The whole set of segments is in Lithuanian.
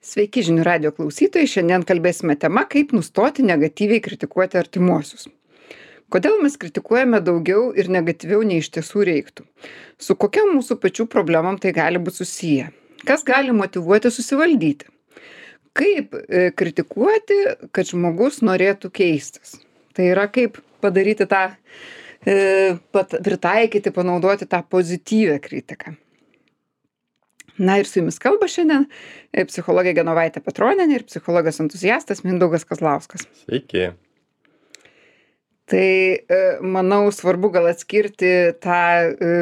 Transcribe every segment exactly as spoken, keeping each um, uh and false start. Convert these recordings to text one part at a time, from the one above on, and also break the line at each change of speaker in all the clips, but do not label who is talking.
Sveiki žinių radijo klausytojai, šiandien kalbėsime tema, kaip nustoti negatyviai kritikuoti artimuosius. Kodėl mes kritikuojame daugiau ir negatyviau nei iš tiesų reiktų? Su kokia mūsų pačių problemom tai gali būti susiję? Kas gali motyvuoti susivaldyti? Kaip e, kritikuoti, kad žmogus norėtų keistis? Tai yra kaip padaryti tą, e, pat, pritaikyti, panaudoti tą pozityvę kritiką. Na ir su jumis kalba šiandien e, psichologė Genovaitė Petronienė ir psichologas entuziastas Mindaugas Kazlauskas.
Sveiki.
Tai e, manau svarbu gal atskirti tą e,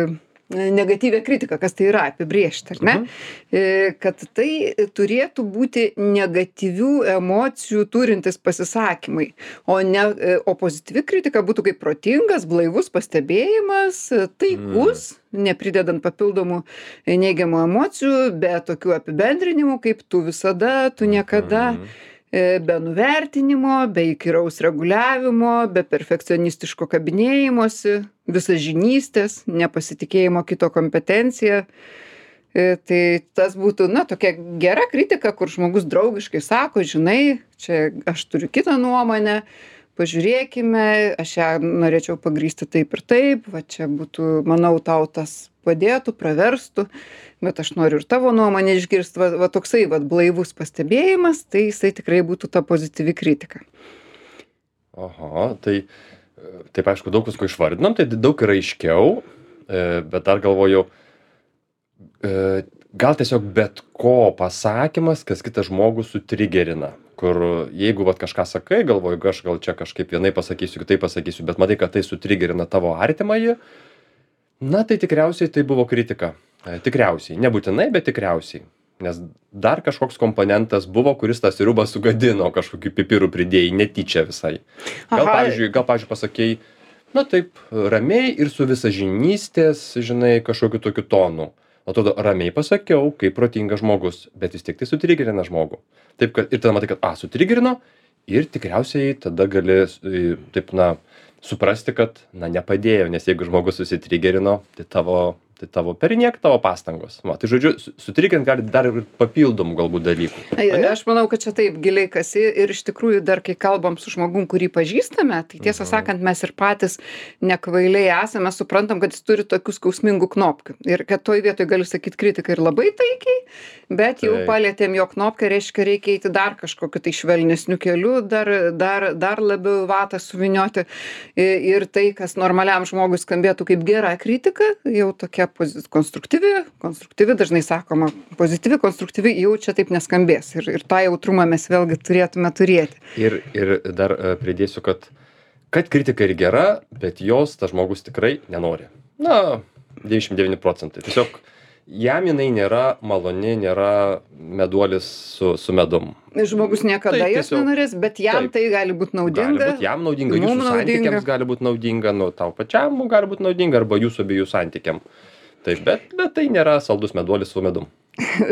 negatyvią kritiką, kas tai yra, apibrėžti, ar ne?
Mhm.
E, kad tai turėtų būti negatyvių emocijų turintis pasisakymai, o, ne, e, o pozityvi kritika būtų kaip protingas, blaivus pastebėjimas, taikus, mm. nepridedant papildomų neigiamų emocijų, be tokių apibendrinimų, kaip tu visada, tu niekada. Mm. Be nuvertinimo, be įkyraus reguliavimo, be perfekcionistiško kabinėjimosi, visažinystės, nepasitikėjimo kito kompetencija. Tai tas būtų, na, tokia gera kritika, kur žmogus draugiškai sako, žinai, čia aš turiu kitą nuomonę, pažiūrėkime, aš ją norėčiau pagrįsti taip ir taip, va čia būtų, manau, tau tas padėtų, praverstų, bet aš noriu ir tavo nuomonę išgirsti, va, va toksai va blaivus pastebėjimas, tai jisai tikrai būtų ta pozityvi kritika.
Oho, tai taip aišku, daug visko išvardinam, tai daug yra aiškiau, bet dar galvoju, gal tiesiog bet ko pasakymas, kas kitą žmogų sutrigerina, kur jeigu vat kažką sakai, galvoju, aš gal čia kažkaip vienai pasakysiu, kitai pasakysiu, bet matai, kad tai sutrigerina tavo artimąjį, na tai tikriausiai tai buvo kritika. Tikriausiai, nebūtinai, bet tikriausiai. Nes dar kažkoks komponentas buvo, kuris tą sriubą sugadino, kažkokių pipirų pridėjai, netyčia visai. Gal,
Aha.
pavyzdžiui, gal, pavyzdžiui, pasakei, na taip, ramiai ir su visažinystės, žinai, kažkokiu tokiu tonu. Atrodo, ramiai pasakiau, kaip protingas žmogus, bet vis tiek tai sutrigerina žmogų. Taip, kad, ir tada matai, kad, a, sutrigerino, ir tikriausiai tada gali, taip, na, suprasti, kad, na, nepadėjo, nes jeigu žmogus susitrigerino, tai tavo, tai tavo perniek tavo pastangos. Va, tai žodžiu, sutrigerint gali dar ir papildomų galbūt dalykų.
Ai, aš manau, kad čia taip giliai kasi ir iš tikrųjų dar kai kalbam su žmogum, kurį pažįstame, tai tiesą mhm. sakant, mes ir patys nekvailiai esame, suprantam, kad jis turi tokių skausmingų knopkių. Ir kad toj vietoj galiu sakyti kritiką ir labai taikiai, bet jau
Taip.
palėtėm jo knopką, reiškia, reikia eiti dar kažkokiu tai švelnesniu keliu, dar, dar, dar labiau vatą suvinioti. Ir tai, kas normaliam žmogui skambėtų kaip gera kritika, jau tokia konstruktyvi, konstruktyvi, dažnai sakoma, pozityvi, konstruktyvi, jau čia taip neskambės. Ir, ir tą jautrumą mes vėlgi turėtume turėti.
Ir, ir dar uh, pridėsiu, kad, kad kritika ir gera, bet jos tas žmogus tikrai nenori. Na, devyniasdešimt devyni procentai. Tiesiog jam jinai nėra maloni, nėra meduolis su, su medum.
Žmogus niekada
Tai
jos
tiesiog-
nenorės, bet jam
taip.
tai gali būti naudinga.
Gali būt jam naudinga,
mum
jūsų
naudinga.
santykiams gali būti naudinga, nu, tau pačiam gali būti naudinga, arba jūsų abiejų santykiam. Taip, bet, bet tai nėra saldus meduolis su medum.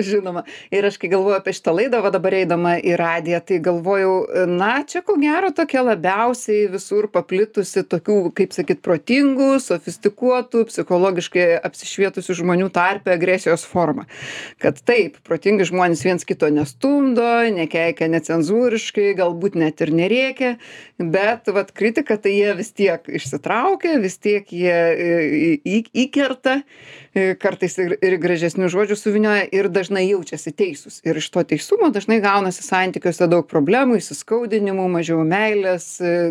Žinoma. Ir aš kai galvoju apie šitą laidą, va dabar eidama į radiją, tai galvojau, na, čia ko gero tokia labiausiai visur paplitusi tokių, kaip sakyt, protingų, sofistikuotų, psichologiškai apsišvietusių žmonių tarpe agresijos forma. Kad taip, protingi žmonės viens kito nestumdo, nekeikia necenzūriškai, galbūt net ir nerėkia, bet vat kritika tai jie vis tiek išsitraukia, vis tiek jie į- į- įkerta, kartais ir, ir gražesnių žodžių suvynioja ir dažnai jaučiasi teisūs. Ir iš to teisumo dažnai gaunasi santykiuose daug problemų, įsiskaudinimų, mažiau meilės,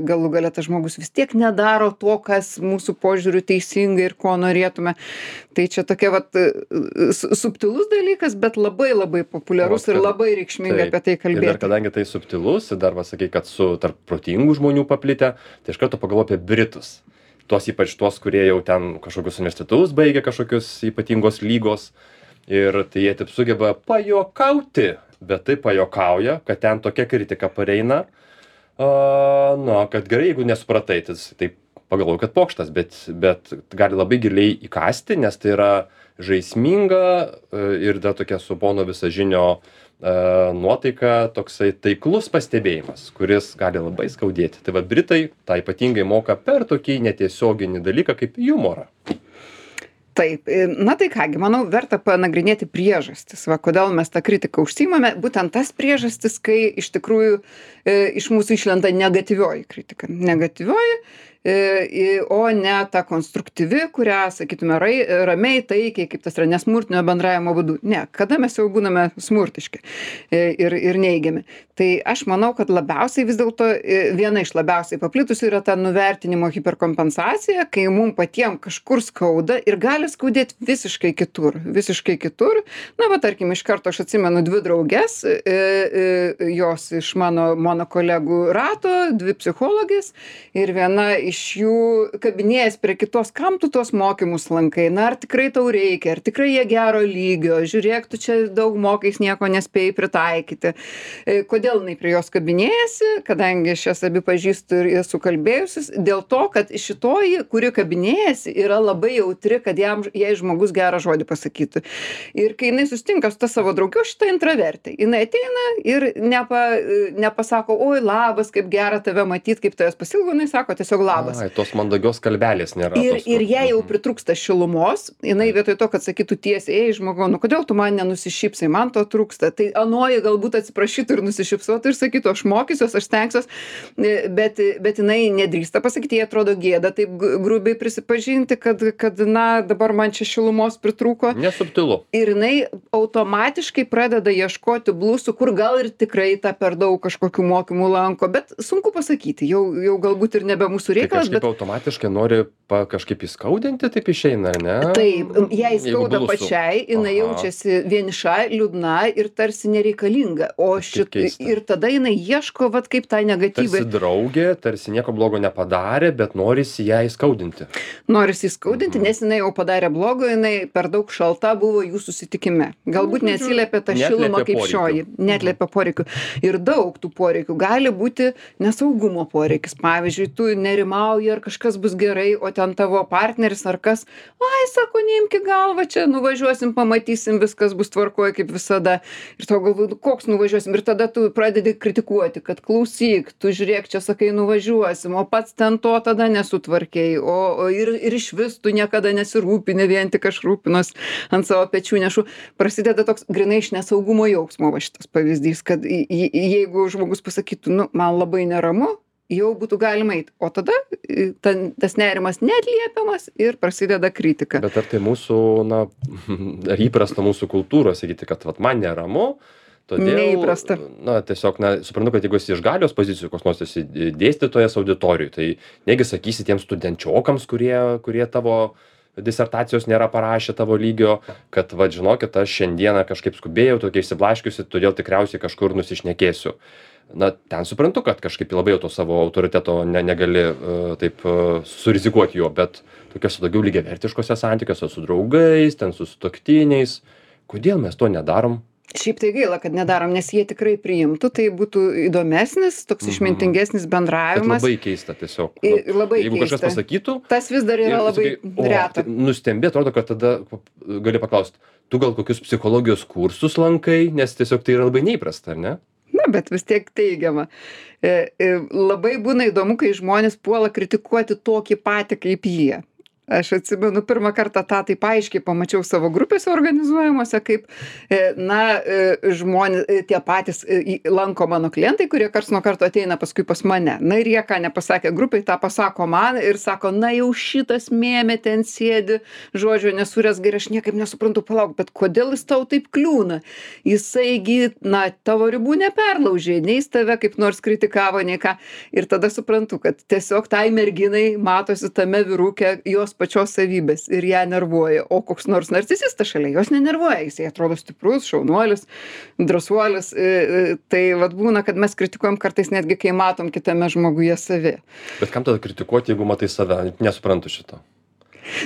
galų gale tas žmogus vis tiek nedaro to, kas mūsų požiūriu teisinga ir ko norėtume. Tai čia tokia vat su- subtilus dalykas, bet labai labai populiarus
O,
ir
kad-
labai reikšminga
Taip.
apie tai
Ir dar
kalbėti.
kadangi tai subtilus, ir dar va sakai, kad su tarp protingų žmonių paplitę, tai iš karto pagalvoju apie Britus. Tuos ypač tuos, kurie jau ten kažkokius universitetus baigia, kažkokius ypatingos lygos. Ir tai jie taip sugeba pajokauti, bet tai pajokauja, kad ten tokia kritika pareina. Uh, na, kad gerai, jeigu nesupratai, tai taip pagalvoju, kad pokštas, bet, bet gali labai giliai įkasti, nes tai yra žaisminga uh, ir dar tokia su pono visažinio uh, nuotaika, toksai taiklus pastebėjimas, kuris gali labai skaudėti. Tai va, Britai tą ypatingai moka per tokį netiesioginį dalyką kaip humorą.
Taip, na tai kągi, manau, verta panagrinėti priežastis, va, kodėl mes tą kritiką užsiimame, būtent tas priežastis, kai iš tikrųjų e, iš mūsų išlenda negatyvioji kritika. Negatyvioji, e, o ne ta konstruktyvi, kurią, sakytume, rai, ramiai, taikiai, kaip tas yra nesmurtinio bendravimo būdu. Ne, kada mes jau būname smurtiški e, ir, ir neigiami. Tai aš manau, kad labiausiai vis dėlto e, viena iš labiausiai paplitusių yra ta nuvertinimo hiperkompensacija, kai mums patiems kažkur skauda ir gali skaudėti visiškai kitur, visiškai kitur. Na, va, tarkim, iš karto aš atsimenu dvi drauges, e, e, jos iš mano, mano kolegų rato, dvi psichologės ir viena iš jų kabinėjęs prie kitos, kam tu tos mokymus lankai, na, ar tikrai tau reikia, ar tikrai jie gero lygio, žiūrėk, tu čia daug mokais, nieko nespėjai pritaikyti. E, kodėl jinai prie jos kabinėjasi, kadangi aš jas abi pažįstu ir esu kalbėjusis, dėl to, kad šitoji, kuri kabinėjasi, yra labai jautri, kad jam, jai žmogus gerą žodį pasakytų. Ir kai jinai sustinka su ta savo draugiu, šitą intravertė, jinai ateina ir nepa, nepasako, oi, labas, kaip gera tave matyti, kaip tavęs pasilgo, jinai sako tiesiog labas.
Ai, tos mandagios kalbelės nėra.
Ir,
tos,
ir jai jau pritrūksta šilumos, jinai vietoj to, kad sakytų tiesiai, ei, žmogau, nu kodėl tu man nenusišypsai, man to trūksta. Tai anoji galbūt atsiprašytų ir nusišypsotų ir sakytų, aš mokysiuos, aš stengsiuos, bet, bet jinai nedrįsta pasakyti, jai atrodo gėda taip grubiai prisipažinti, kad, kad na, dabar man čia šilumos pritrūko.
Nesubtilu.
Ir jinai automatiškai pradeda ieškoti blusų, kur gal ir tikrai tą per daug kažkokių mokymų lanko, bet sunku pasakyti, jau, jau galbūt ir nebe mūsų reikalas.
Tai kažkaip
bet...
automatiškai nori pa, kažkaip įskaudinti, taip išeina, ar ne?
Taip, jai skauda pačiai, jinai
Aha.
jaučiasi vieniša, liūdna ir tarsi nereikalinga. O šit... ir tada jinai ieško, vat kaip tą negatyvą.
Tarsi draugė, tarsi nieko blogo nepadarė, bet norisi ją įskaudinti.
Norisi įskaudinti, nes jinai jau padarė blogo, jinai per daug šalta buvo jų susitikime. Galbūt neatsiliepė tą šilumą kaip
poreikių.
šioji, neatliepia poreikių. Ir daug tų poreikių. Gali būti nesaugumo poreikis. Pavyzdžiui, tu nerimauji, ar kažkas bus gerai, o ten tavo partneris ar kas, ai, sako, neimki galvą, čia nuvažiuosim, pamatysim, viskas bus tvarkoje kaip visada. Ir tau galvoju, koks nuvažiuosim. Ir tada tu pradedi kritikuoti, kad klausyk, tu žiūrėk, čia sakai nuvažiuosim, o pats ten to tada nesutvarkėjai, o, o ir, ir iš vis tu niekada nesirūpini, vien tik aš rūpinos ant savo pečių nešu. Prasideda toks grinai iš nesaugumo jausmo, va šitas pavyzdys, kad jeigu žmogus pasakytų, nu, man labai neramu, jau būtų galima eiti, o tada ta, tas nerimas neatliepiamas ir prasideda kritika.
Bet ar tai mūsų, na, ar įprasta mūsų kultūros sakyti, kad vat, man neramu, todėl,
neįprasta.
Na, tiesiog, na, suprantu, kad jeigu esi iš galios pozicijų, koks nors esi dėstytojas auditorijų, tai negi sakysi tiems studenčiokams, kurie, kurie tavo disertacijos nėra parašę tavo lygio, kad, va, žinokit, aš šiandieną kažkaip skubėjau, tokia išsiblaškiusi, todėl tikriausiai kažkur nusišnekėsiu. Na, ten suprantu, kad kažkaip labai jau to savo autoriteto ne, negali uh, taip uh, surizikuoti juo, bet tokiuose daugiau lygiavertiškose santykiuose su draugais, ten su sutuoktiniais, kodėl mes to nedarom?
Šiaip tai gaila, kad nedarom, nes jie tikrai priimtų, tai būtų įdomesnis, toks išmintingesnis bendravimas.
Bet labai keista tiesiog.
I, labai
Jeigu
keista.
kažkas pasakytų,
tas vis dar yra labai
sakai,
reta.
Tai nustembi, atrodo, kad tada gali paklausti, tu gal kokius psichologijos kursus lankai, nes tiesiog tai yra labai neįprasta, ar ne?
Na, bet vis tiek teigiama. E, e, labai būna įdomu, kai žmonės puola kritikuoti tokį patį kaip jie. Aš atsimenu, pirmą kartą tą taip aiškiai pamačiau savo grupėse organizuojamuose, kaip, na, žmonės, tie patys lanko mano klientai, kurie karts nuo karto ateina paskui pas mane. Na ir jie, ką nepasakė grupai, tą pasako man ir sako, na jau šitas mėmė ten sėdi, žodžio nesurės gerai, aš niekaip nesuprantu, palauk, bet kodėl jis tau taip kliūna? Jisaigi, na, tavo ribų neperlaužė, nei jis tave kaip nors kritikavo, nei ką. Ir tada suprantu, kad tiesiog tai merginai matosi tame vyrukė jos pačios savybės ir ją nervuoja, o koks nors narcisistas šalia jos nenervuoja, jisai atrodo stiprus, šaunuolis, drąsuolis, tai vat būna, kad mes kritikuojam kartais netgi, kai matom kitame žmoguje savi.
Bet kam tada kritikuoti, jeigu matai save? Nesuprantu šito.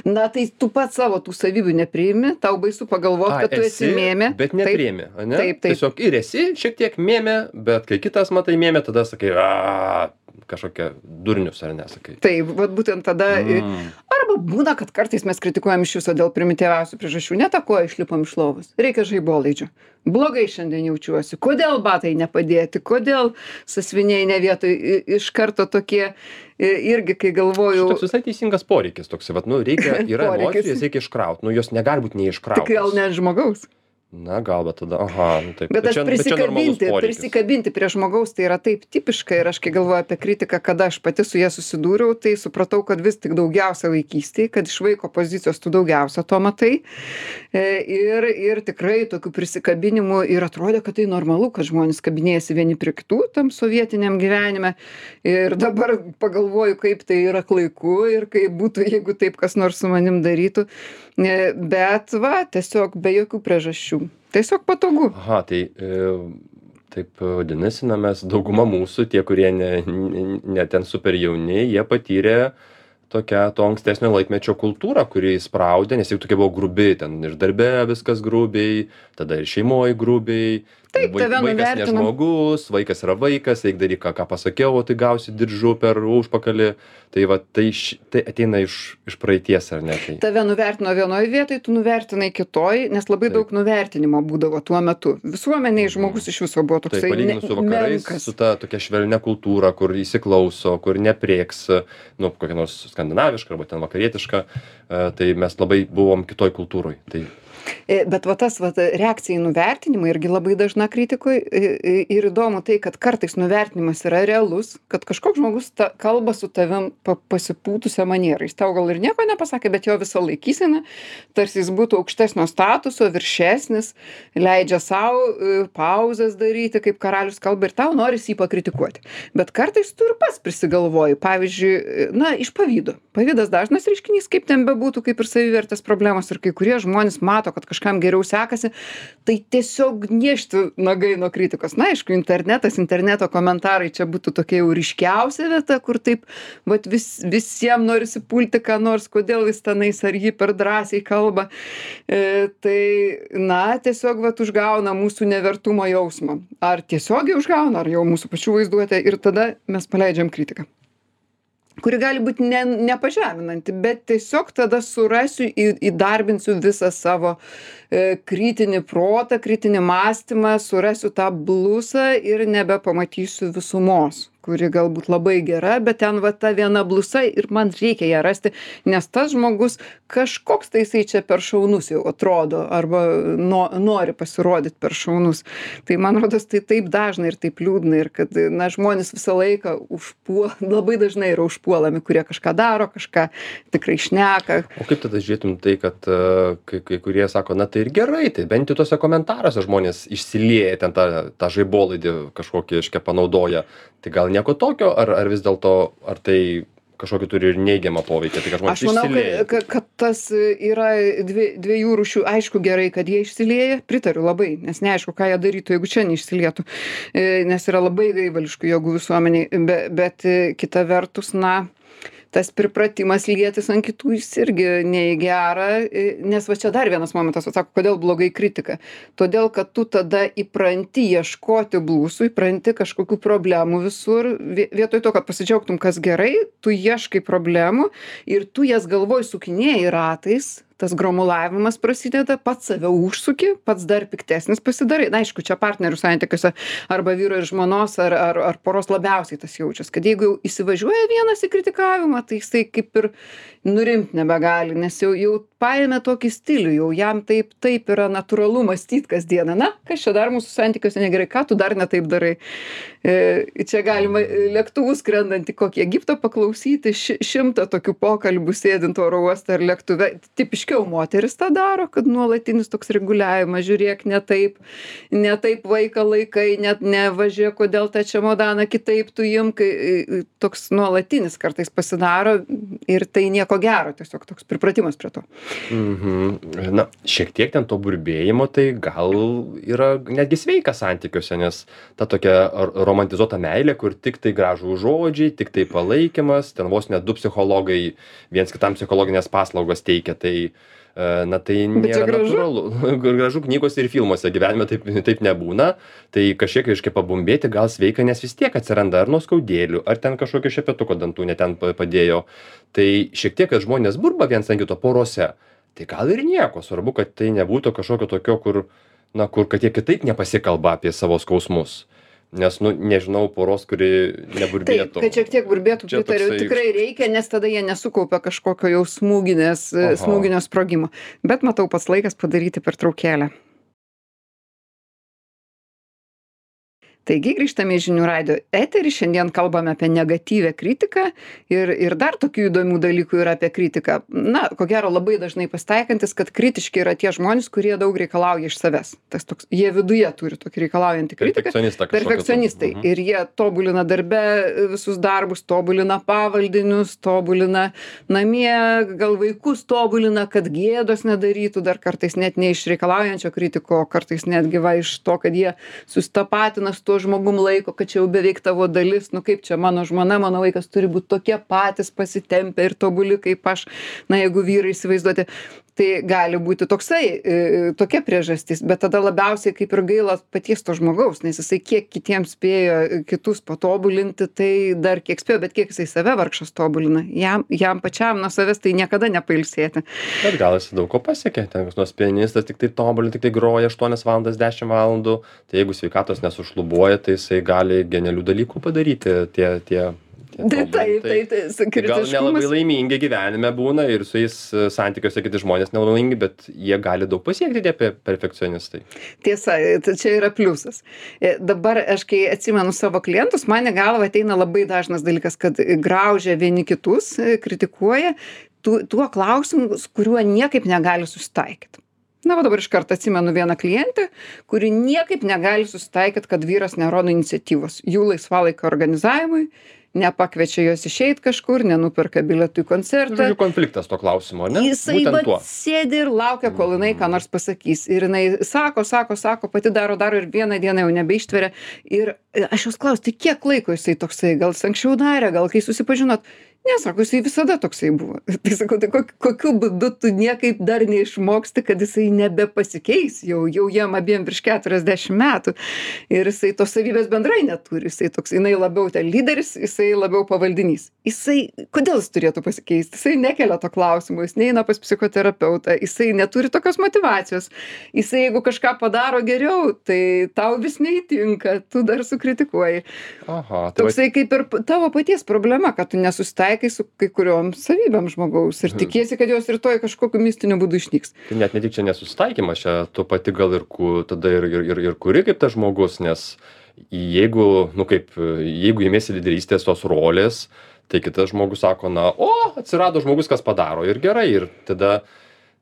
Na, tai tu pats savo tų savybių nepriimi, tau baisu pagalvoti, kad tu esi, esi mėmė.
Bet nepriimi, ne?
Taip, taip.
Tiesiog ir esi šiek tiek mėmė, bet kai kitas matai mėmė, tada sakai, a, kažkokia durnius, ar nesakai.
Taip, vat būtent tada. Mm. Arba būna, kad kartais mes kritikuojam iš viso dėl primityviausių priežasčių. Ne tą koją išlipam iš lovos. Reikia žaibolaidžio. Blogai šiandien jaučiuosi. Kodėl batai nepadėti? Kodėl sąsviniai ne vietoj? Iš karto tokie irgi, kai galvoju.
Toks visai teisingas poreikis toks. Vat, nu, reikia, yra emocijų, jas reikia iškrauti. Nu, jos negali būti neiškrautos.
Tik gal ne žmogaus.
Na, gal, bet tada, aha, nu taip.
Bet aš prisikabinti, prisikabinti prie žmogaus, tai yra taip tipiška ir aš kai galvoju apie kritiką, kada aš pati su jie susidūriau, tai supratau, kad vis tik daugiausia vaikystėje, kad iš vaiko pozicijos tu daugiausia to matai. Ir, ir tikrai tokių prisikabinimų ir atrodė, kad tai normalu, kad žmonės kabinėjasi vieni prie kitų tam sovietiniam gyvenime. Ir dabar pagalvoju, kaip tai yra klaiku ir kaip būtų, jeigu taip kas nors su manim darytų. Bet va, tiesiog be jokių priežasčių. Tiesiog patogu.
Aha, tai e, taip vadinasi, na mes dauguma mūsų, tie, kurie ne, ne, ne ten super jauni, jie patyrė tokią to ankstesnio laikmečio kultūrą, kuri įspraudė, nes jau tokia buvo grubi, ten ir darbe viskas grubiai, tada ir šeimoje grubiai.
Taip,
Vaik,
tave
vaikas ne žmogus, vaikas yra vaikas, eik daryk, ką, ką pasakiau, o tai gausi diržu per užpakalį. Tai va, tai, tai ateina iš, iš praeities, ar ne? Tai...
Tave nuvertino vienoje vietoje, tu nuvertinai kitoj, nes labai Taip. daug nuvertinimo būdavo tuo metu. Visuomeniai žmogus iš viso buvo toksai
Taip, palyginus su vakarais, menkas. Su ta tokia švelnia kultūra, kur įsiklauso, kur neprieks, nu, kokia nors skandinaviška arba ten vakarietiška, tai mes labai buvom kitoj kultūroj. Tai...
Bet va tas va, reakcija į nuvertinimą irgi labai dažna kritikoj ir įdomu tai, kad kartais nuvertinimas yra realus, kad kažkoks žmogus ta, kalba su tavim pa, pasipūtusią manierą. Jis tau gal ir nieko nepasakė, bet jo visą laikysena, tarsi jis būtų aukštesnio statuso, viršesnis, leidžia savo pauzes daryti, kaip karalius kalba ir tau norisi jį pakritikuoti. Bet kartais tu ir pats prisigalvoji, pavyzdžiui, na, iš pavydo. Pavydas dažnas reiškinys, kaip ten bebūtų, kaip ir savivertės problemos ir kai kurie žmonės mato, kad kažkam geriau sekasi, tai tiesiog gniešti nagai nuo kritikos. Na, aišku, internetas, interneto komentarai čia būtų tokia jau ryškiausia vieta, kur taip, vat vis, visiems norisi pulti, ką nors, kodėl jis tenais ar jį per drąsiai kalba. E, tai, na, tiesiog vat užgauna mūsų nevertumo jausmą. Ar tiesiogiai užgauna, ar jau mūsų pačių vaizduotė ir tada mes paleidžiam kritiką, kuri gali būti ne, nepažeminanti, bet tiesiog tada surasiu, į, įdarbinsiu visą savo e, kritinį protą, kritinį mąstymą, surasiu tą blusą ir nebepamatysiu visumos, kuri galbūt labai gera, bet ten va ta viena blusa ir man reikia ją rasti, nes tas žmogus kažkoks tai jisai čia per šaunus jau atrodo, arba no, nori pasirodyti per šaunus. Tai man rodos, tai taip dažna ir taip liūdna ir kad, na, žmonės visą laiką užpuola, labai dažnai yra užpuolami, kurie kažką daro, kažką tikrai šneka.
O kaip tada žiūrėtum tai, kad uh, kai, kai kurie sako, na tai ir gerai, tai bent jau tose komentaruose žmonės išsilieja ten tą, tą žaibolaidį kažkokį, iškia, panaudoja. Tai gal nieko tokio, ar, ar vis dėlto, ar tai kažkokį turi ir neigiamą poveikį, tai kad žmonės
išsilieja? Aš manau, kad, kad tas yra dvi, dviejų rūšių, aišku gerai, kad jie išsilieja, pritariu labai, nes neaišku, ką jie darytų, jeigu čia neišsilietų, nes yra labai gaivališkų jėgų visuomeniai, be, bet kita vertus, na, tas pripratimas lietis ant kitų jis irgi ne į gerą, nes va čia dar vienas momentas, atsako, kodėl blogai kritika. Todėl, kad tu tada įpranti ieškoti blusų, įpranti kažkokių problemų visur, vietoj to, kad pasidžiaugtum, kas gerai, tu ieškai problemų ir tu jas galvoj sukinėji ratais, tas gromulavimas prasideda, pats save užsuki, pats dar piktesnis pasidarai. Na, aišku, čia partnerių santykiuose arba vyro ir žmonos ar, ar, ar poros labiausiai tas jaučias, kad jeigu jau įsivažiuoja vienas į kritikavimą, tai jisai kaip ir nurimt nebegali, nes jau, jau paėmė tokį stilių, jau jam taip, taip yra natūralu mąstyti kasdieną. Na, kas čia dar mūsų santykiuose negerai, ką tu dar ne taip darai. E, čia galima lėktuvų skrendant į kokį Egiptą paklausyti, ši, šimtą tokių pokalbių sėdint oro uoste ar lėktuve. Tipiškiau moteris tą daro, kad nuolatinis toks reguliavimas, žiūrėk, ne taip, ne taip vaiką laikai, net nevažiuok, kodėl tą čemodaną kitaip tu imk, toks nuolatinis kartais pasidaro ir tai nieko gero, tiesiog toks pripratimas prie to.
Mhm. Na, šiek tiek ten to burbėjimo, tai gal yra netgi sveika santykiuose, nes ta tokia romantizuota meilė, kur tik tai gražų žodžiai, tik tai palaikymas, ten vos net du psichologai viens kitam psichologinės paslaugos teikia, tai na tai
Bet čia
nėra
gražu.
natūralu. Gražu knygose ir filmuose, gyvenime taip, taip nebūna. Tai kažkiek reiškia pabumbėti gal sveika, nes vis tiek atsiranda ar nuoskaudėlių, ar ten kažkokio šepetuko dantų ne ten pa- padėjo. Tai šiek tiek, kad žmonės burba viens ant kito porose, tai gal ir nieko. Svarbu, kad tai nebūtų kažkokio tokio, kur, na, kur kad jie kitaip nepasikalba apie savo skausmus. Nes, nu, nežinau poros, kuri
Taip,
neburbėtų.
kad šiek tiek burbėtų,
Čia
pritariu,
toksai-
tikrai reikia, nes tada jie nesukaupia kažkokio jau smūginės,
Aha.
smūginio sprogimo. Bet matau, pats laikas padaryti pertraukėlę. Taigi grįžtame į žinių radijo eterį, šiandien kalbame apie negatyvę kritiką ir, ir dar tokių įdomių dalykų yra apie kritiką. Na, ko gero labai dažnai pasitaikantis, kad kritiški yra tie žmonės, kurie daug reikalauja iš savęs. Tas toks, jie viduje turi tokį reikalaujantį kritiką.
Perfekcionistą kažkokį tu.
Perfekcionistai.
Mhm.
Ir jie tobulina darbe visus darbus, tobulina pavaldinius, tobulina namie, gal vaikus tobulina, kad gėdos nedarytų, dar kartais net ne iš reikalaujančio kritiko, o kartais netgi va iš to, kad jie sustapatina su tuo žmogum laiko, kad čia jau beveik tavo dalis, nu kaip čia mano žmona, mano vaikas turi būti tokie patys pasitempę ir tobuli kaip aš, na jeigu vyrai įsivaizduoti. Tai gali būti toksai, e, tokia priežastis, bet tada labiausiai kaip ir gaila paties to žmogaus, nes jisai kiek kitiems spėjo kitus patobulinti, tai dar kiek spėjo, bet kiek jisai save vargšas tobulina. Jam, jam pačiam nuo savęs tai niekada nepailsėti.
Bet gal jis daug ko pasiekė, ten koks nors pianistas tik tai tobulin, tik tai groja aštuonias valandas, dešimt valandų, tai jeigu sveikatos nesušlubuoja, tai jisai gali genialių dalykų padaryti, tie, tie, tie
Tai taip,
tobulintai.
tai, tai, tai
Gal nelabai
kritiškumas.
laimingi gyvenime būna ir su jais e, santykiuose kiti žmonės nelabai laimingi, bet jie gali daug pasiekti tie pe- perfekcionistai.
Tiesa, tai čia yra pliusas. E, Dabar aš kai atsimenu savo klientus, man į galvą ateina labai dažnas dalykas, kad graužia vieni kitus, e, kritikuoja tu, tuo klausimu, su kuriuo niekaip negali susitaikyti. Na, va dabar iš karto atsimenu vieną klientę, kuri niekaip negali susitaikyti, kad vyras nerodo iniciatyvos jų laisvalaikio organizavimui, nepakviečia jos išeit kažkur, nenuperka bilietų į koncertą.
Žodžiu, konfliktas to klausimo, ne?
Jisai
Būtent
vat
tuo.
sėdi ir laukia, kol jinai ką nors pasakys. Ir jinai sako, sako, sako, pati daro, daro ir vieną dieną jau nebeištveria. Ir e, aš jos klausiu, tai kiek laiko jisai toksai, gal jis anksčiau darė, gal kai susipažinot. Ne, sako, jisai visada toksai buvo. Tai sakau, tai kokiu, kokiu būdu tu niekaip dar neišmoksti, kad jisai nebepasikeis, jau, jau jam abiem virš keturiasdešimt metų. Ir jisai tos savybės bendrai neturi. Jisai toks, jinai labiau ten lyderis, jisai labiau pavaldinys. Jisai, kodėl jis turėtų pasikeisti? Jisai nekelia to klausimo, jis neina pas psichoterapeutą, jisai neturi tokios motyvacijos. Jisai, jeigu kažką padaro geriau, tai tau vis neįtinka, tu dar sukritikuoji.
Aha, tai va,
Toksai kaip ir p- tavo paties problema, kad tu nesusitaikai su kai kuriuom savybėm žmogaus ir tikiesi, kad jos rytoj kažkokiu mistiniu būdu išnyks.
tai net ne tik čia nesusitaikymas, čia tu pati gal ir ku, tada ir, ir, ir, ir kuri kaip tas žmogus, nes jeigu, nu kaip, jeigu įmėsi lyderystės tos rolės, tai kitas žmogus sako, na, o, atsirado žmogus, kas padaro ir gerai, ir tada,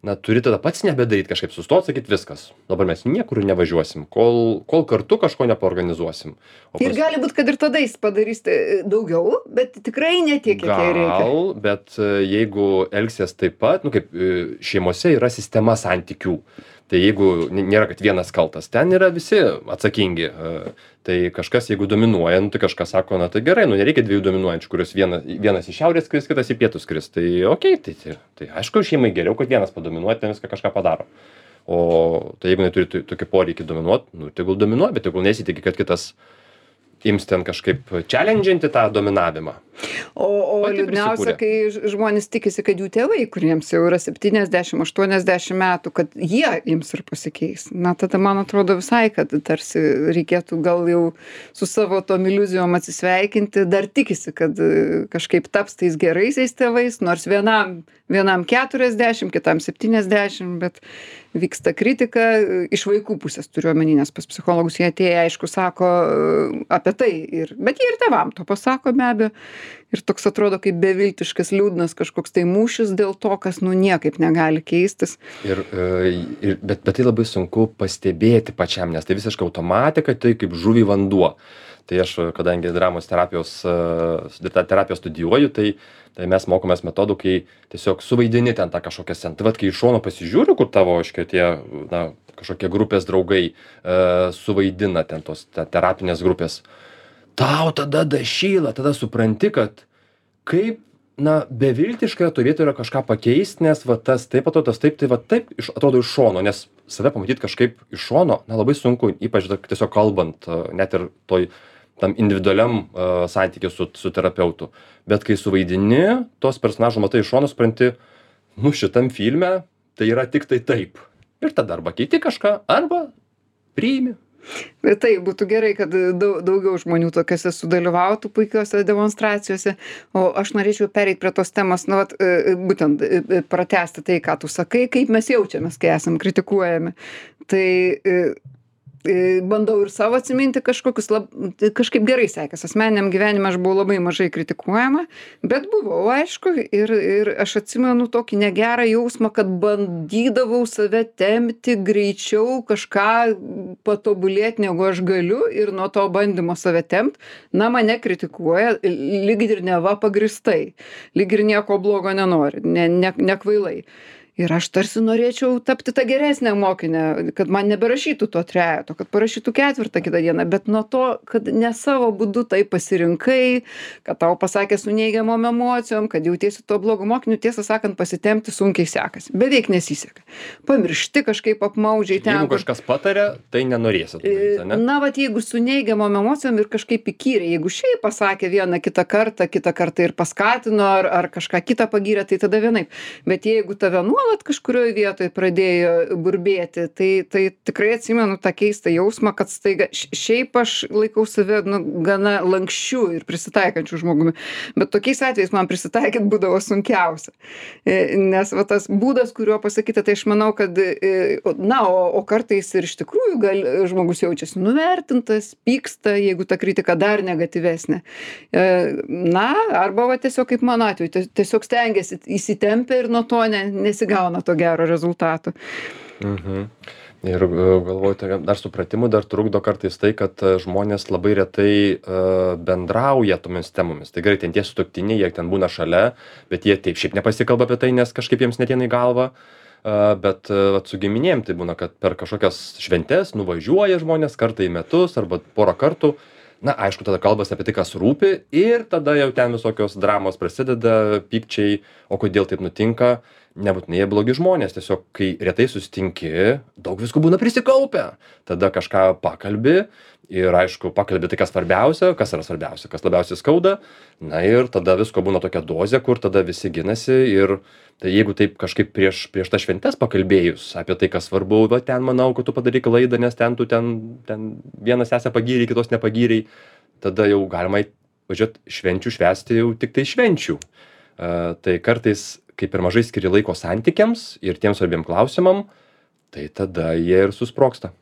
na, turi tada pats nebedaryti kažkaip, sustot, sakyt viskas. Dabar mes niekur nevažiuosim, kol, kol kartu kažko nepaorganizuosim. O
Ir
pas-
gali būt, kad ir tada jis padarys tai daugiau, bet tikrai ne tiek, kiek jai reikia.
Gal, bet e, jeigu elgsies taip pat, nu kaip e, šeimose yra sistema santykių. Tai jeigu n- nėra, kad vienas kaltas, ten yra visi atsakingi. e, Tai kažkas, jeigu dominuoja, nu, tai kažkas sako, na tai gerai, nu nereikia dviejų dominuojančių, kurios viena, vienas iš šiaurės skris, kitas į pietus skris. Tai okei, tai, tai, tai aišku, šeimai geriau, kad vienas padominuoja, ten viską kažką padaro. O tai jeigu neturi to- tokį poreikį dominuot, nu tegul dominuoja, bet tegul nesitiki, kad kitas ims ten kažkaip challenginti tą dominavimą.
O, o
Pati
liūdniausia,
prisikūrė.
kai ž- žmonės tikisi, kad jų tėvai, kuriems jau yra septyniasdešimt aštuoniasdešimt metų, kad jie ims ir pasikeis. Na, tada man atrodo visai, kad tarsi reikėtų gal jau su savo tom iliuzijom atsisveikinti, dar tikisi, kad e, kažkaip taps tais geraisiais tėvais, nors vienam, vienam keturiasdešimt, kitam septyniasdešimt, bet vyksta kritika e, iš vaikų pusės turiu omeny, nes pas psichologus jie atėję, aišku, sako e, apie tai, ir, bet jie ir tėvam to pasako be abejo. Ir toks atrodo kaip beviltiškas, liūdnas kažkoks tai mūšis dėl to, kas nu niekaip negali keistis.
Ir, e, ir, bet, bet tai labai sunku pastebėti pačiam, nes tai visiškai automatika, tai kaip žuvį vanduo. Tai aš, kadangi dramos terapijos, e, tą terapiją studijuoju, tai, tai mes mokomės metodų, kai tiesiog suvaidini ten tą kažkokią sceną. Tai vat, kai iš šono pasižiūriu, kur tavo, aiškiai, tie, na, kažkokie grupės draugai e, suvaidina ten tos te, terapinės grupės, tau tada dašyla, tada supranti, kad kaip na beviltiška toj vietoj yra kažką pakeist, nes va tas taip atrodo, tas taip, tai va taip iš, atrodo iš šono, nes save pamatyt kažkaip iš šono, na labai sunku, ypač da- tiesiog kalbant, a, net ir toj tam individualiam uh, santykiu su, su terapeutu. Bet kai suvaidini, tos personažų matai iš šono, supranti, nu šitam filme tai yra tik tai taip. Ir tada arba keiti kažką, arba priimi.
Bet tai būtų gerai, kad dau- daugiau žmonių tokiuose sudalyvautų puikiuose demonstracijose. O aš norėčiau pereiti prie tos temos, na, vat, e, būtent e, e, pratęsti tai, ką tu sakai, kaip mes jaučiamės, kai esam kritikuojami. Tai e, e, bandau ir savo atsiminti kažkokius, lab, tai kažkaip gerai sekės. Asmeniniam gyvenime aš buvau labai mažai kritikuojama, bet buvau, aišku, ir, ir aš atsimenu tokį negerą jausmą, kad bandydavau save tempti greičiau kažką patobulėti, negu aš galiu, ir nuo to bandymo save tempt, na, mane kritikuoja, lyg ir neva pagristai, lyg ir nieko blogo nenori, ne, ne, nekvailai. Ir aš tarsi norėčiau tapti tą geresnę mokinę, kad man neberašytų to trejeto, kad parašytų ketvirtą kitą dieną, bet nuo to, kad ne savo būdu tai pasirinkai, kad tau pasakė su neigiamom emocijom, kad jautiesi to blogo mokiniu, tiesą sakant, pasitempti sunkiai sekasi, beveik nesiseka. Pamiršti kažkaip apmaudžiai ten.
Jeigu kažkas patarė, tai nenorėsit. Daryti, ne?
Na, vat jeigu su neigiamom emocijom ir kažkaip įkyriai, jeigu šiaip pasakė vieną kitą kartą, kitą kartą ir paskatino, ar, ar kažką kitą pagyrė, tai tada vienaip. Bet jeigu tave nuolat kažkurioje vietoje pradėjo burbėti, tai, tai tikrai atsimenu tą keistą jausmą, kad staiga, šiaip aš laikau save nu, gana lankščių ir prisitaikančių žmogumi, bet tokiais atvejais man prisitaikyti būdavo sunkiausia. Nes va, tas būdas, kuriuo pasakyti, tai aš manau, kad, na, o, o kartais ir iš tikrųjų gal, žmogus jaučiasi nuvertintas, pyksta, jeigu ta kritika dar negatyvesnė. Na, arba va, tiesiog kaip mano atveju, tiesiog stengiasi įsitempę ir nuo to ne, nesigauna gauna to gero rezultato.
Mhm. Ir e, galvoju, tai dar supratimų dar trukdo kartais tai, kad e, žmonės labai retai uh, bendrauja tomis temomis. Tai gerai, ten tie sutuoktiniai, jie ten būna šalia, bet jie taip šiaip nepasikalba apie tai, nes kažkaip jiems neteina į galvą. Uh, bet uh, su giminėm tai būna, kad per kažkokias šventes nuvažiuoja žmonės kartą į metus arba porą kartų. Na, aišku, tada kalbasi apie tai, kas rūpi, ir tada jau ten visokios dramos prasideda, pykčiai, o kodėl taip nutinka. Nebūtinai jie blogi žmonės, tiesiog kai retai susitinki, daug visko būna prisikaupę. Tada kažką pakalbi ir aišku, pakalbi tai, kas svarbiausia, kas yra svarbiausia, kas labiausiai skauda. Na ir tada visko būna tokia dozė, kur tada visi ginasi, ir tai jeigu taip kažkaip prieš, prieš tą šventes pakalbėjus apie tai, kas svarbu, va ten manau, kad tu padarai klaidą, nes ten tu ten, ten vienas esą pagyriai, kitos nepagyriai, tada jau galima važiuoti švenčių švęsti jau tik tai švenčių. Uh, tai kartais kai per mažai skiri laiko santykiams ir tiem svarbiem klausimam, tai tada jie ir susprogsta.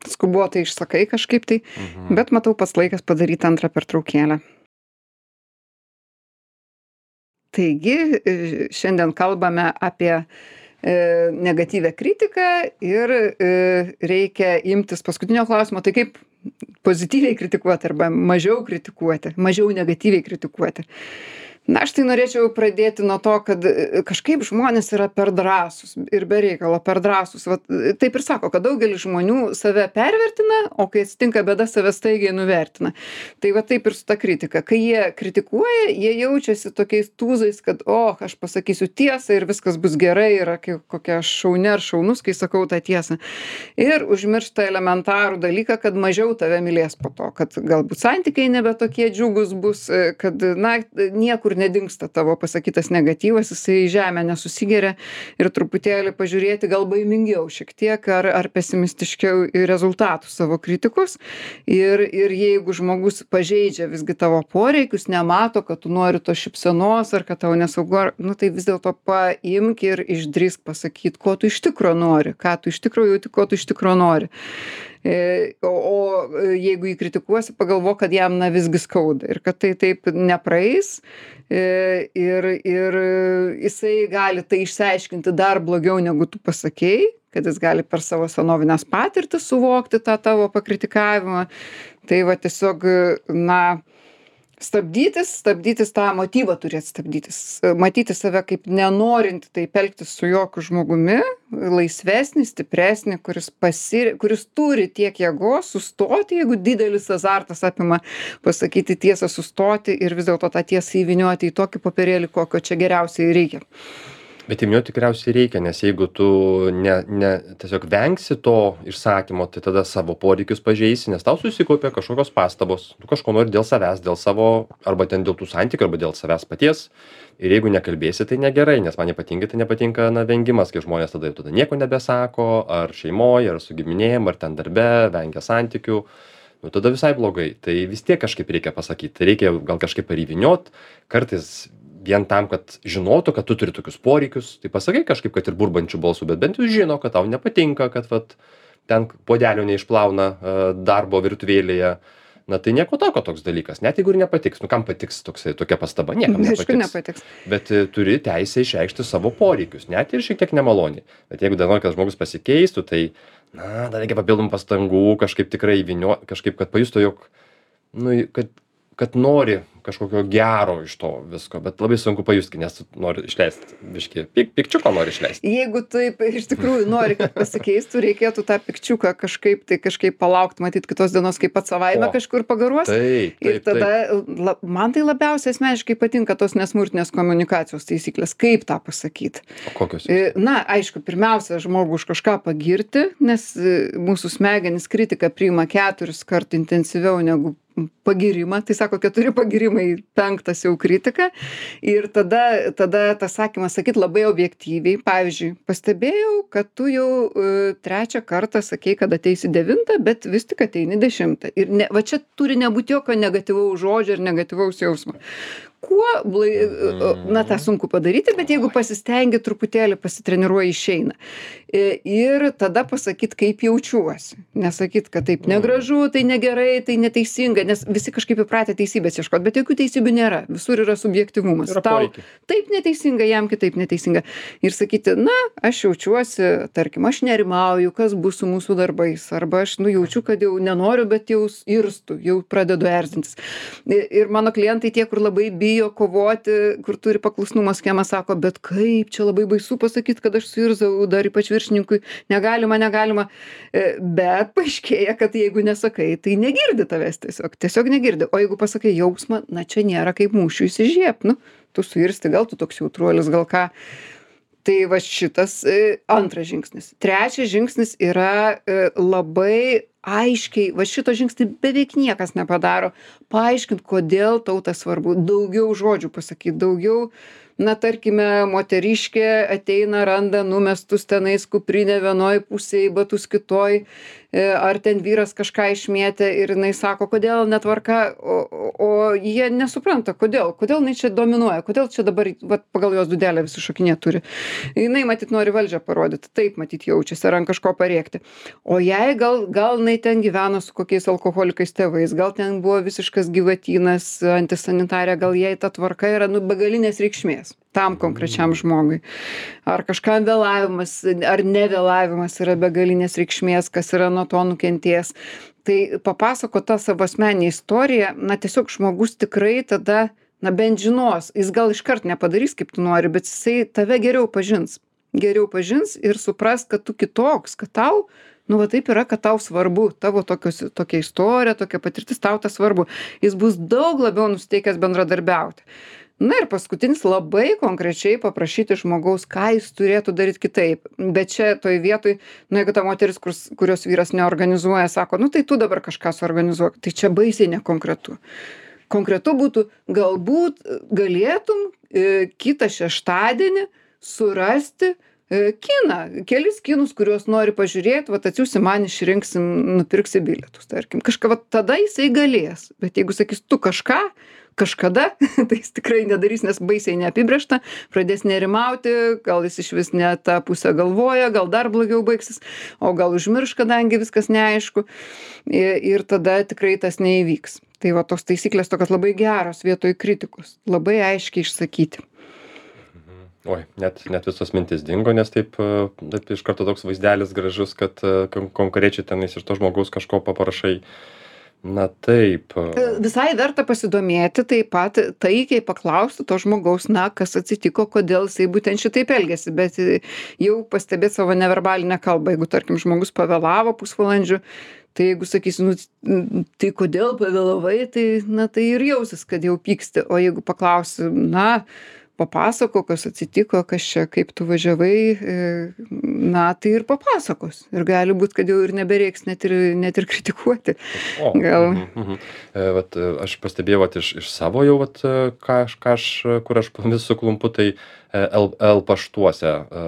Skubotai išsakai kažkaip tai, mhm. Bet matau pats laikas padaryti antrą pertraukėlę. Taigi, šiandien kalbame apie e, negatyvę kritiką ir e, reikia imtis paskutinio klausimo, tai kaip pozityviai kritikuoti arba mažiau kritikuoti, mažiau negatyviai kritikuoti. Na, aš tai norėčiau pradėti nuo to, kad kažkaip žmonės yra per drąsūs ir be reikalo per drąsūs. Vat, taip ir sako, kad daugelis žmonių save pervertina, o kai atsitinka bėda, save staigiai nuvertina. Tai va taip ir su ta kritika. Kai jie kritikuoja, jie jaučiasi tokiais tūzais, kad, o, aš pasakysiu tiesą ir viskas bus gerai, yra kokia šaunė ar šaunus, kai sakau tą tiesą. Ir užmiršta elementarų dalyką, kad mažiau tave mylės po to, kad galbūt santykiai nebe tokie džiugus bus, kad, na, niekur nedingsta tavo pasakytas negatyvas, jisai į žemę nesusigeria, ir truputėlį pažiūrėti gal baimingiau šiek tiek ar, ar pesimistiškiau į rezultatų savo kritikus. Ir, ir jeigu žmogus pažeidžia visgi tavo poreikius, nemato, kad tu nori to šypsenos ar kad tau nesaugu, nu tai vis dėlto paimk ir išdrįsk pasakyti, ko tu iš tikro nori, ką tu iš tikro jauti, ko tu iš tikro nori. O, o jeigu jį kritikuosi, pagalvok, kad jam na visgi skauda ir kad tai taip nepraeis, ir, ir jisai gali tai išsiaiškinti dar blogiau negu tu pasakei, kad jis gali per savo senovinės patirtis suvokti tą tavo pakritikavimą. Tai va tiesiog, na, Stabdytis, stabdytis tą motyvą turėt stabdytis. Matyti save kaip nenorintį taip elgtis su jokiu žmogumi, laisvesnį, stipresnį, kuris, pasir... kuris turi tiek jėgos sustoti, jeigu didelis azartas apima pasakyti tiesą, sustoti ir vis dėlto tą tiesą įvynioti į tokį popierėlį, kokio čia geriausiai reikia.
Bet įvyniot tikriausiai reikia, nes jeigu tu ne, ne, tiesiog vengsi to išsakymo, tai tada savo poreikius pažeisi, nes tau susikaupia kažkokios pastabos, tu kažko nori dėl savęs, dėl savo, arba ten dėl tų santykių, arba dėl savęs paties. Ir jeigu nekalbėsi, tai negerai, nes man nepatinka, tai nepatinka, na, vengimas, kai žmonės tada, tada nieko nebesako, ar šeimoje, ar su giminėjim, ar ten darbe, vengia santykių. Nu, tada visai blogai. Tai vis tiek kažkaip reikia pasakyti. Tai reikia gal kažkaip paryviniot, kartais vien tam, kad žinotų, kad tu turi tokius poreikius, tai pasakai kažkaip, kad ir burbančių balsų, bet bent jau žino, kad tau nepatinka, kad vat, ten puodelio neišplauna uh, darbo virtuvėlėje. Na tai nieko tokio toks dalykas, net jeigu ir nepatiks. Nu kam patiks toksai, tokia pastaba, niekam nepatiks.
nepatiks.
Bet uh, turi teisę išreikšti savo poreikius, net ir šiek tiek nemaloniai. Bet jeigu dar nori, kad žmogus pasikeistų, tai, na, dar reikia papildomų pastangų, kažkaip tikrai įvinio, kažkaip, kad pajustų, jog, nu, kad, kad nori kažkokio gero iš to visko, bet labai sunku pajusti, nes tu nori išleisti, biškį, pik, pikčiuką nori išleisti.
Jeigu taip iš tikrųjų nori, kad pasikeistų, reikėtų tą pikčiuką kažkaip, tai kažkaip palaukti, matyti kitos dienos, kaip pats savaime
O,
kažkur pagaruos.
Taip, taip,
Ir tada, la, man tai labiausiai asmeniškai patinka tos nesmurtinės komunikacijos taisyklės, kaip tą pasakyti.
O kokios?
E, Na, aišku, pirmiausia, žmogų už kažką pagirti, nes e, mūsų smegenys kritiką priima keturis kart intensyviau negu pagirimą, tai sako keturi pagirimai, penktas jau kritika. Ir tada, tada tas sakymas sakyt labai objektyviai. Pavyzdžiui, pastebėjau, kad tu jau uh, trečią kartą sakei, kad ateisi devintą, bet vis tik ateini dešimtą. Ir ne, va čia turi nebūti jokio negatyvaus žodžio ir negatyvaus jausmo. Kuo, blai, na, tą sunku padaryti, bet jeigu pasistengi truputėlį, pasitreniruoji, išeina. Ir tada pasakyt, kaip jaučiuosi. Nesakyt, kad taip negražu, tai negerai, tai neteisinga, nes visi kažkaip įpratę teisybės ieškot, bet jokių teisybių nėra. Visur yra subjektyvumas.
Yra
Tau
poreikiai.
taip neteisinga, jam kitaip neteisinga. Ir sakyti, na, aš jaučiuosi, tarkim, aš nerimauju, kas bus su mūsų darbais, arba aš nujaučiu, kad jau nenoriu, bet jau irstu, jau pradedu erzintis. Ir mano klientai tie, kur labai bijo kovoti, kur turi paklusnumo schemą, sako, bet kaip čia labai baisu pasakyti, kad aš suirzau, dar ypač viršininkui, negalima, negalima. Bet paaiškėja, kad jeigu nesakai, tai negirdi tavęs tiesiog, tiesiog negirdi. O jeigu pasakai jausmą, na čia nėra kaip mūšių įsižiep, nu, tu suirsti, gal tu toks jautruolis, gal ką. Tai va šitas e, antras žingsnis. Trečias žingsnis yra e, labai aiškiai, va šito žingsnį beveik niekas nepadaro, paaiškint, kodėl tau tas svarbu, daugiau žodžių pasakyti, daugiau, na, tarkime, moteriškė ateina, randa numestus tenais kuprinę vienoj pusėj, batus kitoj, ar ten vyras kažką išmėtė ir jinai sako, kodėl netvarka, o, o jie nesupranta, kodėl, kodėl jinai čia dominuoja, kodėl čia dabar, va, pagal jos dudelę visi šokinė turi. Jinai matyt nori valdžią parodyti, taip matyt jaučiasi, ar ant kažko parėkti. O jai gal, gal jinai ten gyveno su kokiais alkoholikais tėvais, gal ten buvo visiškas gyvatynas, antisanitarė, gal jai ta tvarka yra, nu, begalinės reikšmės tam konkrečiam žmogui. Ar kažkam vėlavimas, ar nevėlavimas yra begalinės reikšmės, kas yra nuo to nukentės. Tai papasako tą savo asmeninę istoriją, na tiesiog žmogus tikrai tada, na bent žinos, jis gal iškart nepadarys, kaip tu nori, bet jisai tave geriau pažins. Geriau pažins ir supras, kad tu kitoks, kad tau, nu va taip yra, kad tau svarbu, tavo tokios, tokia istorija, tokia patirtis, tau tas svarbu. Jis bus daug labiau nusteikęs bendradarbiauti. Na ir paskutinis labai konkrečiai paprašyti žmogaus, ką jis turėtų daryti kitaip. Bet čia toj vietoj, nu jeigu ta moteris, kur, kurios vyras neorganizuoja, sako, nu tai tu dabar kažką suorganizuok, tai čia baisiai nekonkretu. Konkretu būtų, galbūt galėtum e, kitą šeštadienį surasti e, kiną, kelis kinus, kuriuos nori pažiūrėti, vat atsiųsi man, išrinksim, nupirksi bilietus, tarkim. Kažką, vat tada jisai galės. Bet jeigu sakys, tu kažką, kažkada, tai jis tikrai nedarys, nes baisiai neapibrėžta, pradės nerimauti, gal jis iš vis ne tą pusę galvoja, gal dar blogiau baigsis, o gal užmirš, kadangi viskas neaišku, ir, ir tada tikrai tas neįvyks. Tai va tos taisyklės tokios labai geros vietoj kritikos, labai aiškiai išsakyti.
Oi, net, net visos mintis dingo, nes taip, taip iš karto toks vaizdelis gražus, kad kon konkrečiai tenais iš to žmogaus kažko paprašai. Na taip.
E, Visai verta pasidomėti taip pat taikiai paklausti to žmogaus, na, kas atsitiko, kodėl jisai būtent šitaip elgėsi, bet e, jau pastebėti savo neverbalinę kalbą. Jeigu, tarkim, žmogus pavėlavo pusvalandžiu, tai jeigu sakysi, nu, n- tai kodėl pavėlavai, tai, na, tai ir jausis, kad jau pyksti. O jeigu paklausi, na, papasakok, kas atsitiko, kas čia, kaip tu važiavai, e, na, tai ir papasakos. Ir gali būti, kad jau ir nebereiks net ir, net ir kritikuoti.
O,
Gal.
mhm, mhm. E, vat, e, aš pastebėjau vat, iš, iš savo jau, vat, e, ką, aš, ką aš, e, kur aš vis suklumpu, tai e, L, L paštuose, e,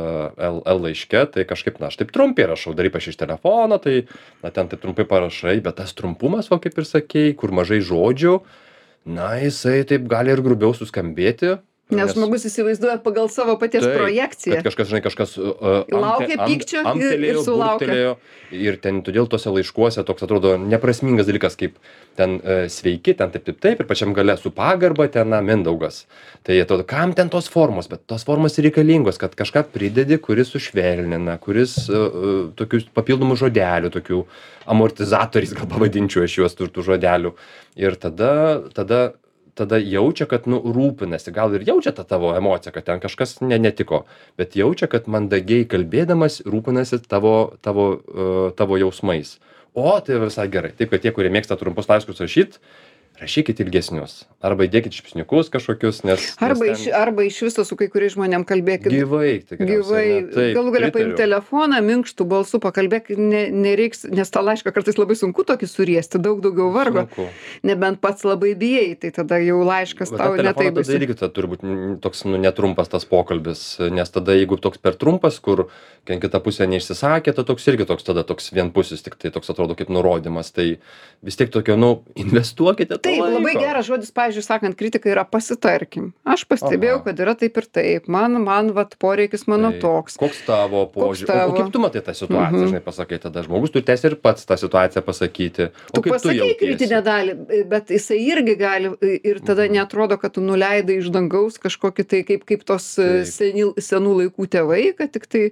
L, L laiške, tai kažkaip, na, aš taip trumpai rašau, dar ypač iš telefono, tai, na, ten taip trumpai parašai, bet tas trumpumas, va, kaip ir sakei, kur mažai žodžių, na, jisai taip gali ir grubiau suskambėti.
Nes žmogus įsivaizduoja pagal savo paties
Taip,
projekciją.
kad kažkas, žinai, kažkas uh,
Laukia pykčio ir- ir sulaukia.
Ir ten todėl tuose laiškuose toks atrodo neprasmingas dalykas, kaip ten uh, sveiki, ten taip, taip, taip, ir pačiam gale su pagarba ten, na, Mindaugas. Tai atrodo, kam ten tos formos, bet tos formos ir reikalingos, kad kažką pridedi, kuris sušvelnina, kuris uh, uh, tokius papildomų žodelių, tokių amortizatoriais, gal pavadinčiau aš juos tų tų žodelių. Ir tada, tada tada jaučia, kad, nu, rūpinasi, gal ir jaučia tą tavo emociją, kad ten kažkas ne, netiko, bet jaučia, kad mandagiai kalbėdamas rūpinasi tavo, tavo, uh, tavo jausmais. O, tai visai gerai. Taip, kad tie, kurie mėgsta trumpus laiškus rašyt, rašykit ilgesnius. Arba įdėkit šipsniukus kažkokius, nes...
Arba,
nes
iš,
ten
arba iš viso su kai kuriais žmonėm kalbėkit.
gyvai, tikriausiai.
Gyvai,
ne? Taip,
galų galia paimti
pritariu.
telefoną, minkštų balsų pakalbėk, ne, nereiks, nes tą laišką kartais labai sunku tokį suriesti, daug daugiau vargo.
Sunku.
Nebent pats labai bijai, tai tada jau laiškas
Bet
tau
tą telefoną
netaip
tada
baisu.
irgi tada turi būt n- toks, nu, netrumpas tas pokalbis, nes tada jeigu toks per trumpas, kur ten kita pusė neišsisakė, tai toks irgi toks tada toks vienpusis, tik tai toks atrodo kaip nurodymas, tai vis tiek tokio, nu, investuokite to
Taip, labai
laiko.
geras žodis, pavyzdžiui, sakant, kritika yra pasitarkim. Aš pastebėjau,
Aha.
kad yra taip ir taip. Man, man, vat, poreikis mano
Tai
toks.
Koks tavo požiūris? O,
tavo?
o kaip tu matai tą situaciją,
Mhm.
žinai, pasakai tada. Žmogus turi teisę ir pats tą situaciją pasakyti. O
Tu
kaip tu
pasakei
jautiesi?
kritinę dalį, bet jisai irgi gali ir tada
Mhm.
neatrodo, kad tu nuleidai iš dangaus kažkokį tai kaip, kaip tos e,
Taip.
seni, senų laikų tėvai, kad tik tai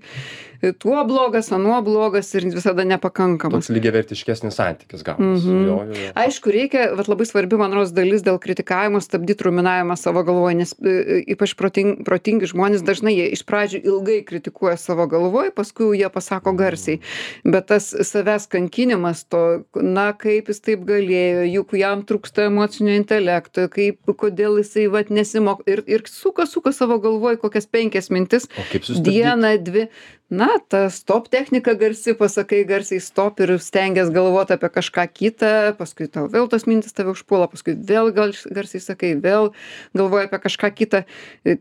e, tuo blogas, anuo blogas ir visada nepakankamas.
Toks lygiavertiškesnis santykis gaunasi.
Mhm.
Jo, jo, jo.
Aišku, reikia, vat labai svarbi, man rodos, dalis dėl kritikavimo stabdyti ruminavimą savo galvoje, nes e, e, ypač protingi, protingi žmonės dažnai jie iš pradžių ilgai kritikuoja savo galvoje, paskui jau jie pasako garsiai. Bet tas savęs kankinimas, to, na, kaip jis taip galėjo, juk jam trūksta emocinio intelekto, kaip, kodėl jisai vat nesimok ir, ir suka, suka savo galvoje kokias penkias mintis,
O kaip sustabdyti?
dieną, dvi. Na, ta stop technika garsi, pasakai garsiai stop ir stengias galvoti apie kažką kitą, paskui tau vėl tos mintis tave užpuola, paskui vėl gal garsiai sakai, vėl galvoji apie kažką kitą.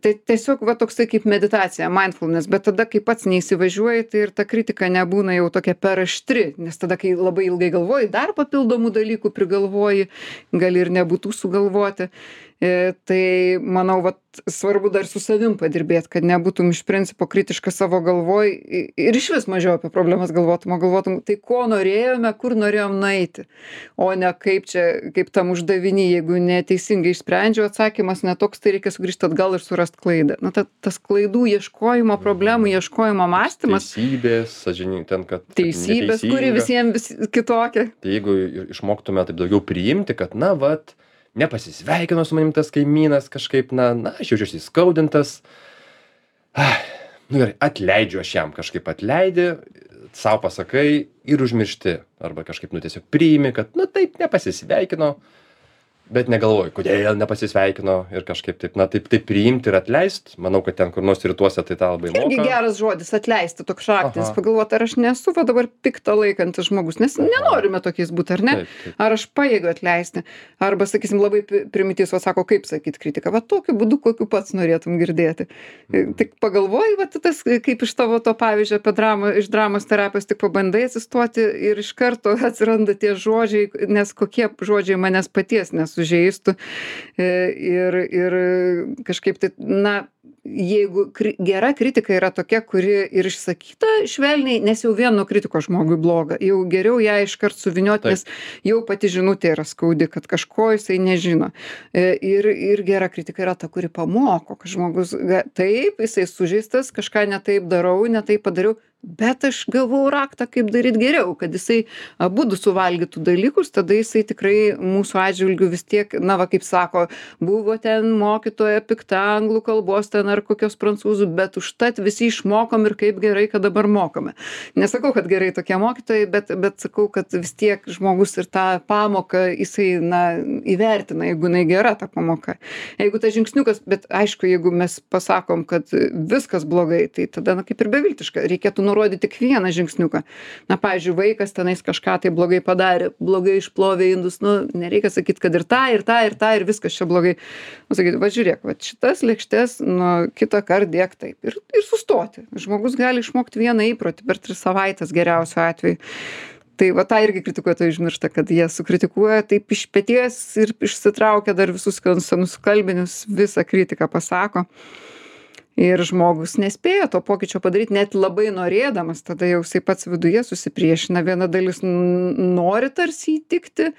Tai tiesiog va toksai kaip meditacija, mindfulness, bet tada, kai pats neįsivažiuoji, tai ir ta kritika nebūna jau tokia per aštri, nes tada, kai labai ilgai galvoji, dar papildomų dalykų prigalvoji, gali ir nebūtų sugalvoti. E, tai manau, vat, svarbu dar su savim padirbėti, kad nebūtum iš principo kritiškas savo galvoj i- ir iš vis mažiau apie problemas galvotum, o galvotum, tai ko norėjome, kur norėjom nueiti, o ne kaip čia, kaip tam uždavinį, jeigu neteisingai išsprendžiau atsakymas netoks, tai reikia sugrįžti atgal ir surasti klaidą. Na, ta, tas klaidų ieškojimo, problemų ieškojimo mąstymas,
Teisybės, sąžininkai, ten, kad... kad
teisybės, kuri
neteisinga.
visiems vis, kitokia.
Tai jeigu ir išmoktume taip daugiau priimti, kad, na, vat, nepasisveikino su manim tas kaimynas kažkaip, na, na, aš jaučiuosi įskaudintas. Ah, nu gerai, atleidžiu aš jam, kažkaip atleidi, savo pasakai ir užmiršti. Arba kažkaip, nu, tiesiog priimi, kad, na, taip, nepasisveikino, bet negalvoju, kodėl nepasisveikino ir kažkaip taip, na, taip, taip priimti ir atleist. Manau, kad ten kur nors rytuose tai tą labai
Irgi
moka.
geras žodis atleisti, toks šaknis,
Aha.
pagalvoti, ar aš nesu va dabar piktą laikantis žmogus, nes nenorime tokiais būti, ar ne?
Taip, taip.
Ar aš pajėgiu atleisti? Arba, sakysim, labai pi- primityvus, o sako, kaip sakyti kritiką, va tokiu būdu, kokiu pats norėtum girdėti.
Mhm.
Tik pagalvoji, va tas, kaip iš tavo to pavyzdžio apie dramą, iš dramos terapijos, tik pabandai atsistoti ir iš karto atsiranda tie žodžiai, nes kokie žodžiai manęs paties nesužeistų. E, Ir, ir kažkaip tai, na, jeigu kri gera kritika yra tokia, kuri ir išsakyta švelniai, nes jau vien nuo kritikos žmogui bloga, jau geriau ją iškart suvinioti,
Taip.
nes jau pati žinutė yra skaudi, kad kažko jisai nežino. E, Ir, ir gera kritika yra ta, kuri pamoko, kad žmogus, ga- taip, jisai sužeistas, kažką netaip darau, netaip padariau, bet aš gavau raktą, kaip daryt geriau, kad jisai abudu suvalgytų dalykus, tada jisai tikrai mūsų atžvilgiu vis tiek, na va, kaip sako, buvo ten mokytoja pikta anglų kalbos ten ar kokios prancūzų, bet užtat visi išmokom ir kaip gerai, kad dabar mokame. Nesakau, kad gerai tokie mokytojai, bet, bet sakau, kad vis tiek žmogus ir tą pamoką jisai, na, įvertina, jeigu jinai gera ta pamoka. Jeigu tas žingsniukas, bet aišku, jeigu mes pasakom, kad viskas blogai, tai tada, na, kaip ir beviltiška, reikėtų nurodyti tik vieną žingsniuką. Na, pavyzdžiui, vaikas tenais kažką tai blogai padarė, blogai išplovė indus, nu, nereikia sakyti, kad ir tą, ir tą, ir tą, ir viskas čia blogai. Nu, sakyti, va žiūrėk, va šitas lėkštes, nu, kitą kartą dėk taip. Ir, ir sustoti. Žmogus gali išmokti vieną įprotį per tris savaitės geriausiu atveju. Tai va tą irgi kritikuotojai užmiršta, kad jie sukritikuoja taip iš peties ir išsitraukia dar visus senus kalbinius, visą kritiką pasako. Ir žmogus nespėja to pokyčio padaryti, net labai norėdamas, tada jau jisai pats viduje susipriešina. Viena dalis nori tarsi įtikti,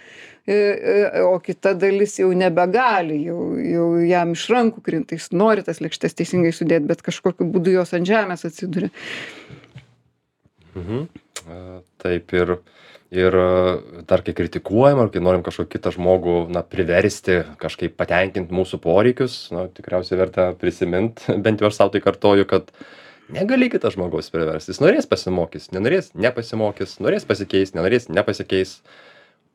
o kita dalis jau nebegali, jau, jau jam iš rankų krinta, jis nori tas lėkštes teisingai sudėti, bet kažkokiu būdu jos ant žemės atsiduria.
Mhm. Taip ir, ir dar kai kritikuojam, ar kai norim kažkokį kitą žmogų, na, priversti kažkaip patenkinti mūsų poreikius, na, tikriausiai verta prisimint, bent jau aš savo tai kartoju, kad negali kitą žmogaus priversti. Jis norės pasimokys, nenorės nepasimokys, norės pasikeis, nenorės nepasikeis.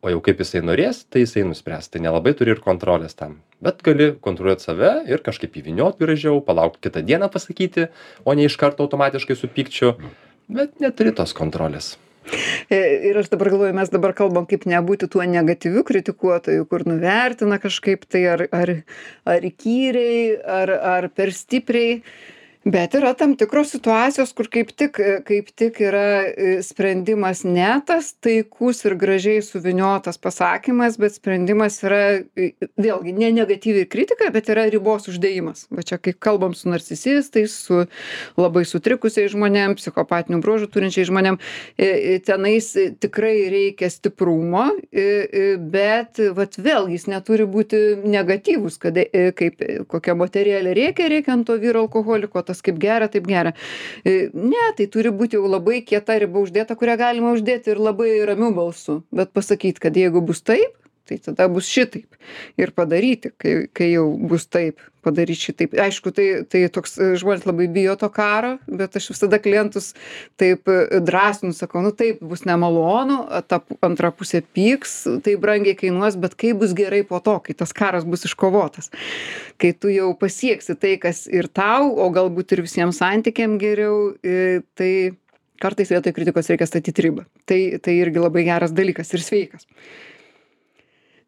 O jau kaip jisai norės, tai jisai nuspręs. Tai nelabai turi ir kontrolės tam. Bet gali kontroliuoti save ir kažkaip įvyniot gražiau, palaukti kitą dieną pasakyti, o ne iš karto automatiškai su pykčiu. Bet neturi tos kontrolės.
Ir aš dabar galvoju, mes dabar kalbam, kaip nebūti tuo negatyviu kritikuotoju, kur nuvertina kažkaip tai ar, ar, ar įkyriai, ar, ar per stipriai. Bet yra tam tikros situacijos, kur kaip tik, kaip tik yra sprendimas ne tas taikus ir gražiai suviniotas pasakymas, bet sprendimas yra vėlgi ne negatyvi kritika, bet yra ribos uždėjimas. Va čia kai kalbam su narcisistais, su labai sutrikusiais žmonėm, psichopatinių bruožų turinčiais žmonėm, tenais tikrai reikia stiprumo, bet vat vėlgi jis neturi būti negatyvus, kad kaip kokia moterėlė rėkia, rėkia ant to vyro alkoholiko, tas kaip gera, taip gera. Ne, tai turi būti jau labai kieta riba uždėta, kurią galima uždėti ir labai ramiu balsu. Bet pasakyti, kad jeigu bus taip, tai tada bus šitaip. Ir padaryti, kai, kai jau bus taip, padaryti šitaip. Aišku, tai, tai toks žmonės labai bijo to karo, bet aš visada klientus taip drąsinu, sakau, nu taip, bus nemalonu, ta antra pusė pyks, tai brangiai kainuos, bet kaip bus gerai po to, kai tas karas bus iškovotas. Kai tu jau pasieksi tai, kas ir tau, o galbūt ir visiems santykiam geriau, tai kartais vietoj kritikos reikia statyti ribą. Tai, tai irgi labai geras dalykas ir sveikas.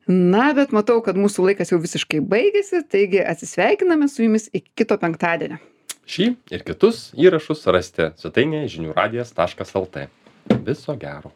Na, bet matau, kad mūsų laikas jau visiškai baigėsi, taigi atsisveikiname su jumis iki kito penktadienio.
Šį ir kitus įrašus rasite svetainėje žinių radijas taškas lt. Viso gero.